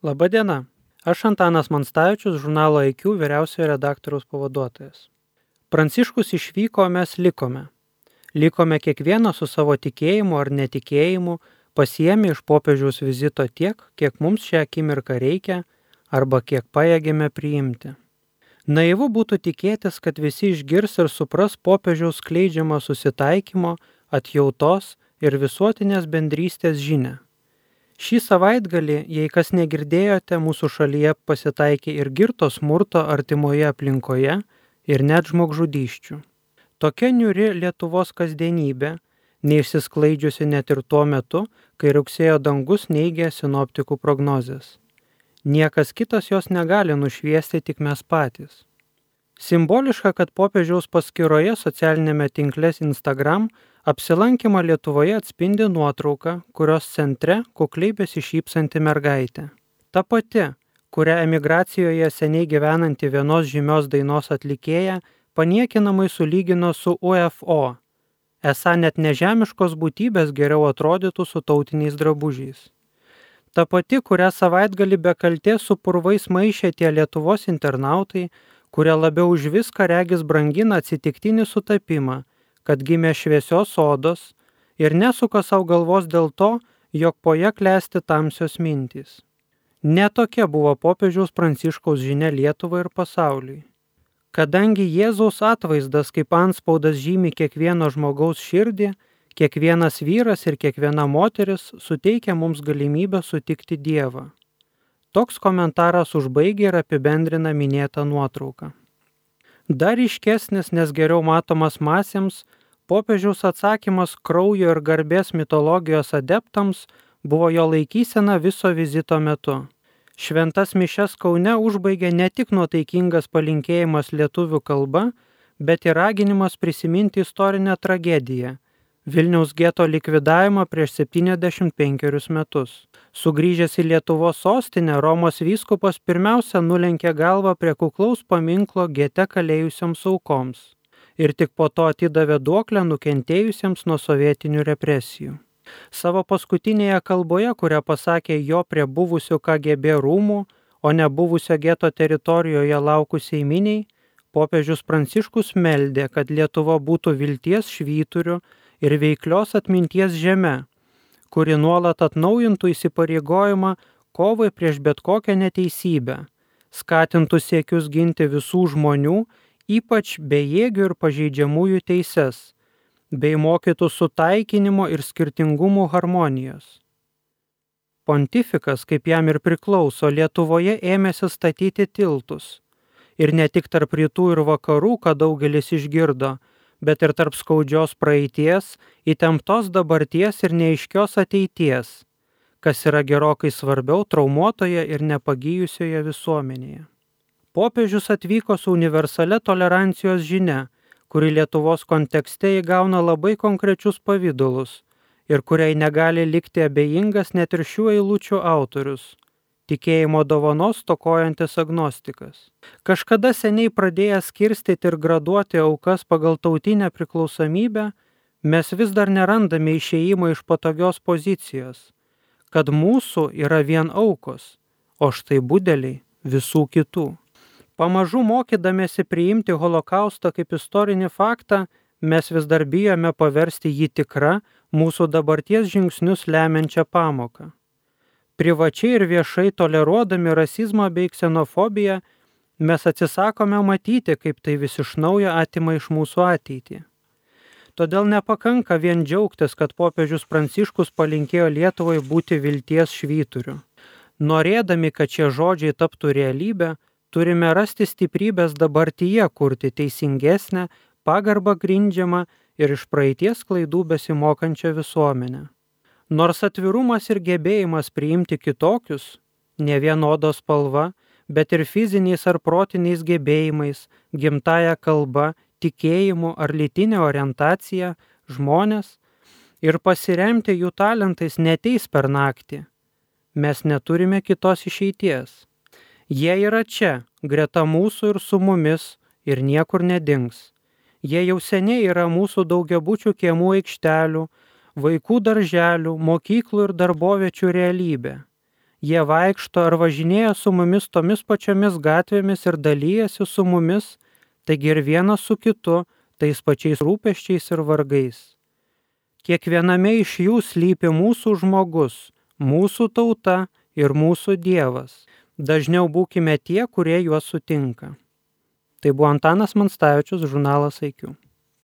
Labadiena, aš Antanas Manstavičius, žurnalo IQ vyriausiojo redaktoriaus pavaduotojas. Pranciškus išvyko, o mes likome. Likome kiekvieną su savo tikėjimu ar netikėjimu, pasiėmė iš popiežiaus vizito tiek, kiek mums šią akimirką reikia arba kiek pajėgėme priimti. Naivu būtų tikėtis, kad visi išgirs ir supras popiežiaus skleidžiamą susitaikymo, atjautos ir visuotinės bendrystės žinią. Šį savaitgalį, jei kas negirdėjote, mūsų šalyje pasitaikė ir girto smurto artimoje aplinkoje ir net žmogžudysčių. Tokia niūri Lietuvos kasdienybė, neišsisklaidžiusi net ir tuo metu, kai rugsėjo dangus neigė sinoptikų prognozes. Niekas kitas jos negali nušviesti, tik mes patys. Simboliška, kad popiežiaus paskyroje socialinėme tinkle Instagram apsilankymą Lietuvoje atspindi nuotrauka, kurios centre kukliai besišypsanti mergaitė. Ta pati, kurią emigracijoje seniai gyvenanti vienos žymios dainos atlikėja paniekinamai sulygino su UFO. Esą net nežemiškos būtybės geriau atrodytų su tautiniais drabužiais. Ta pati, kurią savaitgalį be kaltės su purvais maišė tie Lietuvos internautai, kurie labiau už viską regis brangina atsitiktinį sutapimą, kad gimė šviesios odos ir nesuka savo galvos dėl to, jog po ja klesti tamsios mintys. Netokia buvo popiežiaus Pranciškaus žinia Lietuvai ir pasauliui. Kadangi Jėzaus atvaizdas kaip antspaudas žymi kiekvieno žmogaus širdį, kiekvienas vyras ir kiekviena moteris suteikia mums galimybę sutikti Dievą. Toks komentaras užbaigia ir apibendrina minėtą nuotrauką. Dar ryškesnis, nes geriau matomas masėms, popiežiaus atsakymas kraujo ir garbės mitologijos adeptams buvo jo laikysena viso vizito metu. Šventas mišias Kaune užbaigė ne tik nuotaikingas palinkėjimas lietuvių kalba, bet ir raginimas prisiminti istorinę tragediją – Vilniaus geto likvidavimą prieš 75 metus. Sugrįžęs į Lietuvos sostinę, Romos vyskupas pirmiausia nulenkė galvą prie kuklaus paminklo gete kalėjusioms aukoms ir tik po to atidavė duoklę nukentėjusiems nuo sovietinių represijų. Savo paskutinėje kalboje, kurią pasakė jo prie buvusių KGB rūmų, o ne buvusio geto teritorijoje laukusiai miniai, popiežius Pranciškus meldė, kad Lietuva būtų vilties švyturiu ir veiklios atminties žeme, kuri nuolat atnaujintų įsipareigojimą kovai prieš bet kokią neteisybę, skatintų siekius ginti visų žmonių, ypač bejėgių ir pažeidžiamųjų teises, bei mokytų sutaikinimo ir skirtingumų harmonijos. Pontifikas, kaip jam ir priklauso, Lietuvoje ėmėsi statyti tiltus. Ir ne tik tarp rytų ir vakarų, ką daugelis išgirdo, bet ir tarp skaudžios praeities, įtemptos dabarties ir neaiškios ateities, kas yra gerokai svarbiau traumuotoje ir nepagijusioje visuomenėje. Popiežius atvyko su universale tolerancijos žinia, kuri Lietuvos kontekste įgauna labai konkrečius pavydalus ir kuriai negali likti abejingas net ir šių eilučių autorius – tikėjimo dovanos stokojantis agnostikas. Kažkada seniai pradėjęs skirstyti ir graduoti aukas pagal tautinę priklausomybę, mes vis dar nerandame išėjimo iš patogios pozicijos, kad mūsų yra vien aukos, o štai budeliai visų kitų. Pamažu mokydamėsi priimti holokaustą kaip istorinį faktą, mes vis dar bijome paversti jį tikrą mūsų dabarties žingsnius lemiančią pamoką. Privačiai ir viešai toleruodami rasizmą bei ksenofobiją, mes atsisakome matyti, kaip tai vis iš naujo atima iš mūsų ateitį. Todėl nepakanka vien džiaugtis, kad popiežius Pranciškus palinkėjo Lietuvai būti vilties švyturiu. Norėdami, kad šie žodžiai taptų realybę, turime rasti stiprybės dabartyje kurti teisingesnę, pagarbą grindžiamą ir iš praeities klaidų besimokančią visuomenę. Nors atvirumas ir gebėjimas priimti kitokius, ne vien odos spalva, bet ir fiziniais ar protiniais gebėjimais, gimtąja kalba, tikėjimu ar lytinė orientacija, žmonės ir pasiremti jų talentais neteis per naktį. Mes neturime kitos išeities. Jie yra čia, greta mūsų ir su mumis, ir niekur nedings. Jie jau seniai yra mūsų daugiabučių kiemų aikštelių, vaikų darželių, mokyklų ir darboviečių realybė. Jie vaikšto ar važinėja su mumis tomis pačiomis gatvėmis ir dalyjasi su mumis, taigi ir vienas su kitu, tais pačiais rūpesčiais ir vargais. Kiekviename iš jų slypi mūsų žmogus, mūsų tauta ir mūsų Dievas. Dažniau būkime tie, kurie juos sutinka. Tai buvo Antanas Monstavičius, žurnalas IQ.